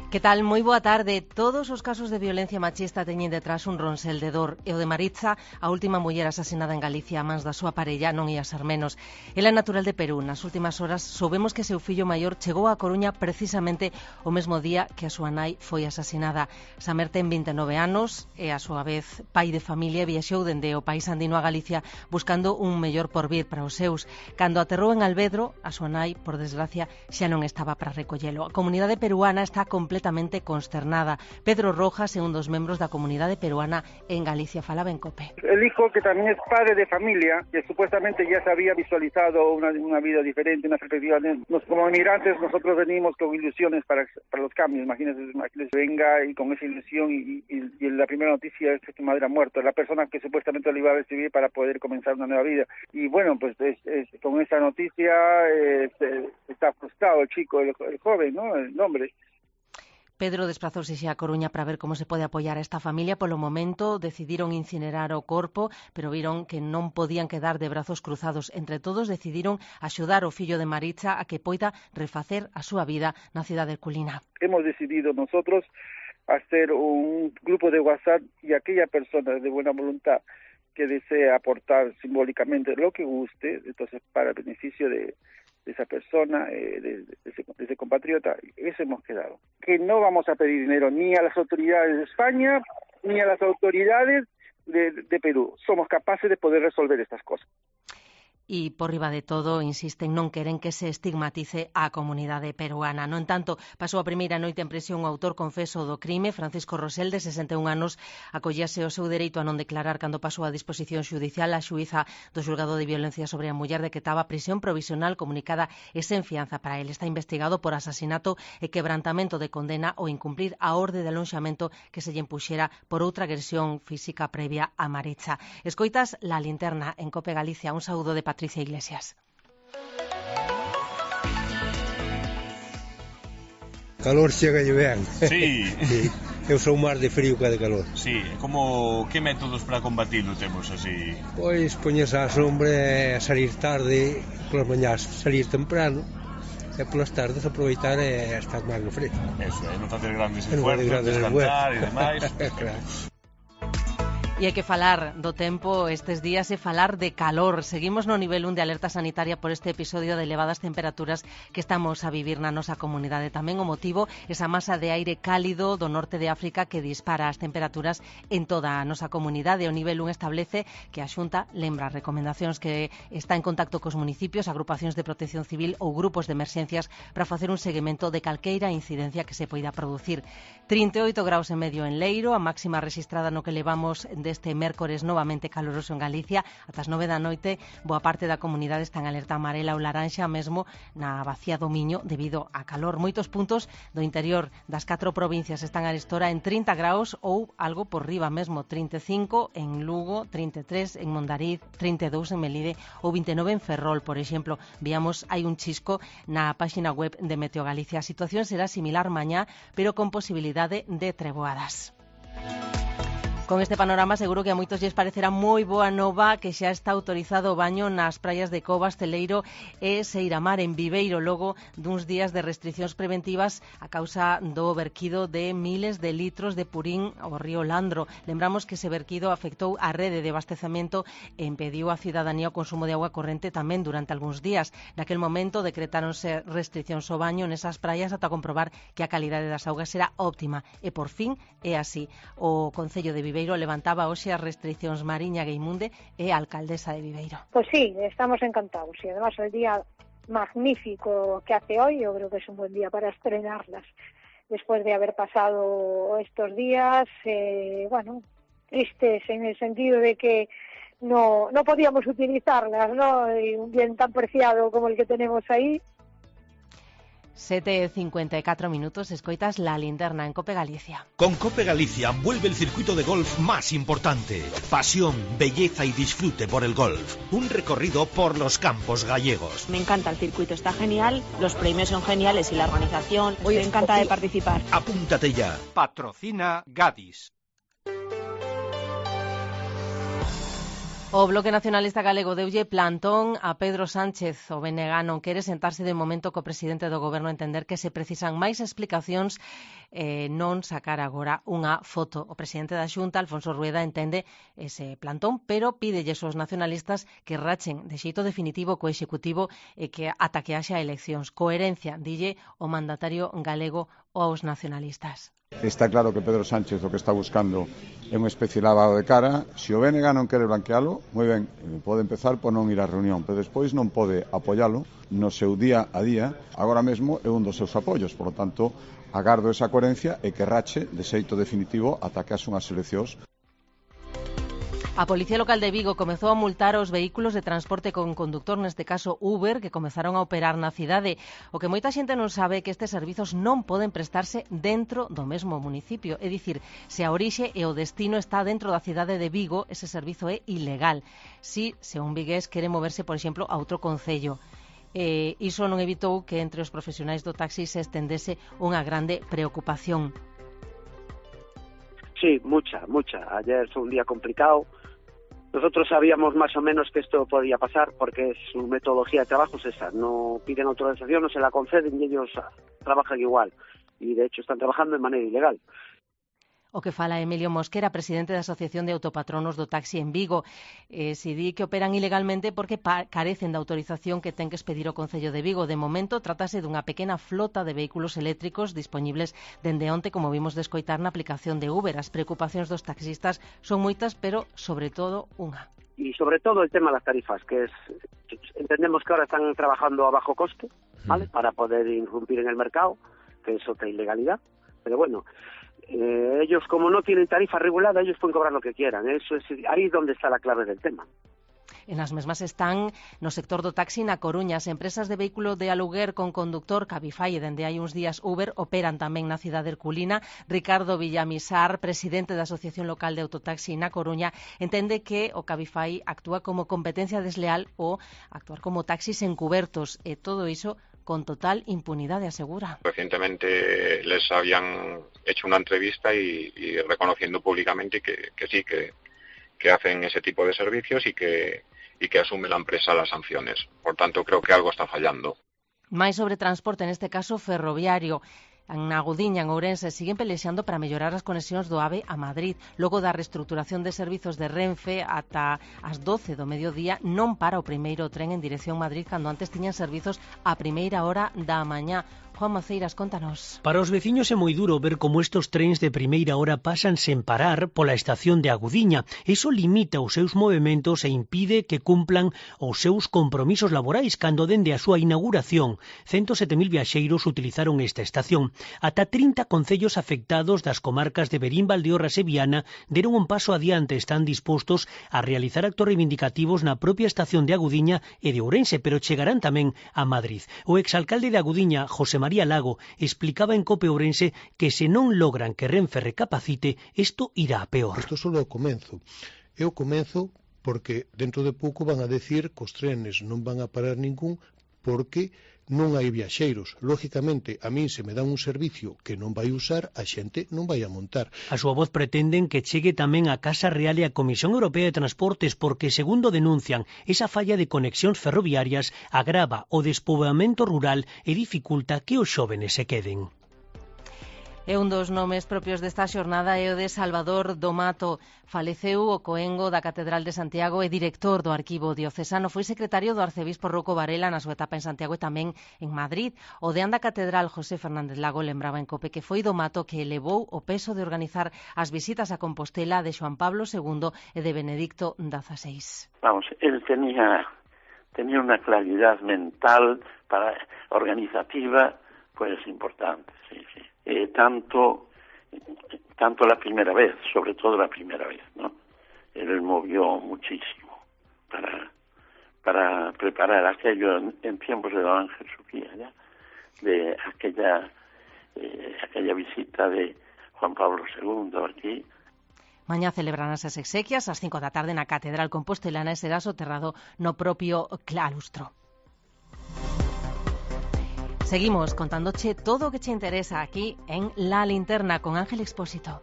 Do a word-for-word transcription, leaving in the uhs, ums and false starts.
Que tal? Moi boa tarde. Todos os casos de violencia machista teñen detrás un ronsel de dor. E o de Maritza, a última muller asasinada en Galicia a mans da súa parella, non ia ser menos. Ela é natural de Perú. Nas últimas horas soubemos que seu fillo maior chegou a Coruña precisamente o mesmo día que a súa nai foi asasinada. Samer ten vinte e nove anos e, a súa vez, pai de familia, viaxou dende o país andino a Galicia buscando un mellor porvir para os seus. Cando aterrou en Alvedro, a súa nai, por desgracia, xa non estaba para recollelo. A comunidade peruana está completamente completamente consternada. Pedro Rojas é un dos membros da comunidade peruana en Galicia. Falaba en COPE. El hijo, que también es padre de familia, que supuestamente ya se había visualizado una, una vida diferente, una perspectiva. Nos, como inmigrantes, nosotros venimos con ilusiones para, para los cambios. Imagínense, imagínense, venga y con esa ilusión y, y, y la primera noticia es que su madre ha muerto, la persona que supuestamente lo iba a recibir para poder comenzar una nueva vida. Y bueno, pues es, es, con esa noticia eh, está frustrado el chico, el, el joven, ¿no? El hombre. Pedro desprazouse xa a Coruña para ver como se pode apoiar a esta familia. Polo momento decidiron incinerar o corpo, pero viron que non podían quedar de brazos cruzados. Entre todos decidiron axudar o fillo de Maritza a que poida refacer a súa vida na cidade herculina. Hemos decidido nosotros hacer un grupo de WhatsApp y aquella persona de buena voluntad que desee aportar simbólicamente lo que guste, entonces para el beneficio de de esa persona, eh, de, de, ese, de ese compatriota, eso hemos quedado. Que no vamos a pedir dinero ni a las autoridades de España, ni a las autoridades de, de Perú. Somos capaces de poder resolver estas cosas. E, por riba de todo, insisten, non queren que se estigmatice a comunidade peruana. No entanto, pasou a primeira noite en prisión o autor confeso do crime, Francisco Rosell, de sesenta e un anos, acollase o seu dereito a non declarar cando pasou a disposición xudicial. A xuíza do xulgado de violencia sobre a muller decretaba prisión provisional comunicada e sen fianza para el. Está investigado por asasinato e quebrantamento de condena ou incumplir a orde de alonxamento que se lle impuxera por outra agresión física previa a Maritza. Escoitas La Linterna en COPE Galicia. Un saúdo de Patricia Iglesias. Calor chega lle ben. Sí. Sí. Eu sou máis de frío que de calor. Sí, como que métodos para combatirlo temos así? Pois poñes á sombra e salir tarde, polas mañás salir temprano e polas tardes aproveitar e estar máis no fresco. Eso, é non facer grandes E non esfuerzos, facer grandes descansar e demais. Claro. E hai que falar do tempo estes días e falar de calor. Seguimos no nivel un de alerta sanitaria por este episodio de elevadas temperaturas que estamos a vivir na nosa comunidade. Tamén o motivo, esa masa de aire cálido do norte de África que dispara as temperaturas en toda a nosa comunidade. O nivel un establece que a Xunta lembra recomendacións que está en contacto cos municipios, agrupacións de protección civil ou grupos de emerxencias para facer un seguimento de calqueira incidencia que se poida producir. trinta e oito graus e medio en Leiro, a máxima rexistrada no que levamos deste mércores novamente caloroso en Galicia. Ata as nove da noite, boa parte da comunidade está en alerta amarela ou laranxa, mesmo na Bacía do Miño, debido a calor. Moitos puntos do interior das catro provincias están a estora en trinta graus ou algo por riba mesmo, trinta e cinco en Lugo, trinta e tres en Mondariz, trinta e dous en Melide ou vinte e nove en Ferrol, por exemplo. Víamos, hai un chisco na páxina web de Meteo Galicia. A situación será similar mañá, pero con posibilidade de treboadas. Con este panorama seguro que a moitos lles parecerá moi boa nova que xa está autorizado o baño nas praias de Covas, Celeiro e Seiramar en Viveiro, logo duns días de restriccións preventivas a causa do verquido de miles de litros de purín ao río Landro. Lembramos que ese verquido afectou a rede de abastecemento e impediu á cidadanía o consumo de agua corrente tamén durante algúns días. Naquel momento decretáronse restriccións ao baño nesas praias ata comprobar que a calidade das augas era óptima e por fin é así. O Concello de Viveiro Viveiro levantaba hoxe as restriccións. Mariña Gueimunde é a alcaldesa de Viveiro. Pues sí, estamos encantados y además el día magnífico que hace hoy, yo creo que es un buen día para estrenarlas. Después de haber pasado estos días, eh, bueno, tristes en el sentido de que no, no podíamos utilizarlas, ¿no? Y un bien tan preciado como el que tenemos ahí. sete e cincuenta e catro minutos, escoitas La Linterna en COPE Galicia. Con COPE Galicia vuelve el circuito de golf más importante. Pasión, belleza y disfrute por el golf. Un recorrido por los campos gallegos. Me encanta el circuito, está genial, los premios son geniales y la organización. Hoy estoy encantada de participar. Apúntate ya. Patrocina Gadis. O Bloque Nacionalista Galego deulle plantón a Pedro Sánchez. O B N G non quere sentarse de momento co presidente do goberno entender que se precisan máis explicacións e eh, non sacar agora unha foto. O presidente da Xunta, Alfonso Rueda, entende ese plantón, pero pídelles aos nacionalistas que rachen de xeito definitivo co Executivo e que ata que haxa eleccións. Coherencia, dille o mandatario galego aos nacionalistas. Está claro que Pedro Sánchez o que está buscando é unha especie de lavado de cara. Se o B N G non quere blanquealo, moi ben, pode empezar por non ir á reunión, pero despois non pode apoialo no seu día a día. Agora mesmo é un dos seus apoios, por lo tanto, agardo esa coherencia e que rache de xeito definitivo ata que as unhas eleccións. A Policía Local de Vigo comezou a multar os vehículos de transporte con conductor, neste caso Uber, que comezaron a operar na cidade. O que moita xente non sabe é que estes servizos non poden prestarse dentro do mesmo municipio. É dicir, se a orixe e o destino está dentro da cidade de Vigo, ese servizo é ilegal. Si, se un vigués quere moverse, por exemplo, a outro concello. Eh, iso non evitou que entre os profesionais do taxi se estendese unha grande preocupación. Sí, mucha, mucha. Ayer fue un día complicado. Nosotros sabíamos más o menos que esto podía pasar porque su metodología de trabajo es esa. No piden autorización, no se la conceden y ellos trabajan igual. Y de hecho están trabajando de manera ilegal. O que fala Emilio Mosquera, presidente da Asociación de Autopatronos do Taxi en Vigo. Eh, si di que operan ilegalmente porque carecen da autorización que ten que expedir o Concello de Vigo. De momento, trátase dunha pequena flota de vehículos eléctricos disponibles dende onte, como vimos de escoitar na aplicación de Uber. As preocupacións dos taxistas son moitas, pero, sobre todo, unha. Y sobre todo el tema de las tarifas, que es, entendemos que ahora están trabajando a bajo coste, ¿vale? Para poder irrumpir en el mercado, que es otra ilegalidad. Pero bueno, Eh, ellos como no tienen tarifa regulada, ellos pueden cobrar lo que quieran. Eso es ahí donde está la clave del tema. En as mesmas están no sector do taxi na Coruña. As empresas de vehículo de aluguer con conductor Cabify e dende hai uns días Uber operan tamén na cidade herculina. Ricardo Villamisar, presidente da Asociación Local de Autotaxi na Coruña, entende que o Cabify actúa como competencia desleal ou actuar como taxis encubertos e todo iso con total impunidade, asegura. Recientemente les habían hecho una entrevista y, y reconociendo públicamente que, que sí, que, que hacen ese tipo de servicios y que, y que asume la empresa las sanciones. Por tanto, creo que algo está fallando. Máis sobre transporte, neste caso ferroviario. Na Gudiña, en Ourense, siguen pelexando para mellorar as conexións do AVE a Madrid. Logo da reestruturación de servizos de Renfe ata as doce do mediodía non para o primeiro tren en dirección Madrid cando antes tiñan servizos a primeira hora da mañá. Juan Maceiras, contanos. Para os veciños é moi duro ver como estes trens de primeira hora pasan sen parar pola estación de Agudiña. Iso limita os seus movementos e impide que cumplan os seus compromisos laborais cando dende a súa inauguración ciento sete mil viaxeiros utilizaron esta estación. Ata trinta concellos afectados das comarcas de Verín, Valdeorras e Viana deron un paso adiante, están dispostos a realizar actos reivindicativos na propia estación de Agudiña e de Ourense, pero chegarán tamén a Madrid. O exalcalde de Agudiña, José María Lago, explicaba en Cope Ourense que se non logran que Renfe recapacite, isto irá a peor. Isto só é o comenzo. É o comenzo porque dentro de pouco van a decir que os trenes non van a parar ningún porque non hai viaxeiros. Lógicamente, a min se me dá un servicio que non vai usar, a xente non vai a montar. A súa voz pretenden que chegue tamén a Casa Real e a Comisión Europea de Transportes porque, segundo denuncian, esa falla de conexións ferroviarias agrava o despoboamento rural e dificulta que os xóvenes se queden. E un dos nomes propios desta xornada é o de Salvador do Mato. Faleceu o coengo da Catedral de Santiago e director do Arquivo Diocesano. Foi secretario do arcebispo Rocco Varela na súa etapa en Santiago e tamén en Madrid. O de anda Catedral, José Fernández Lago, lembraba en Cope que foi do Mato que elevou o peso de organizar as visitas a Compostela de Xoán Pablo segundo e de Benedicto dieciséis. Vamos, él tenía, tenía una claridad mental para organizativa, pues importante, sí, sí. Eh, tanto tanto la primera vez, sobre todo la primera vez, ¿no? Él movió muchísimo para para preparar aquello en, en tiempos de Don Ángel Sofía, ¿ya? De aquella eh, aquella visita de Juan Pablo segundo aquí. Mañá celebrarán as exequias ás cinco da tarde na Catedral Compostelana e será soterrado no propio claustro. Seguimos contándoche todo o que te interesa aquí en La Linterna con Ángel Expósito.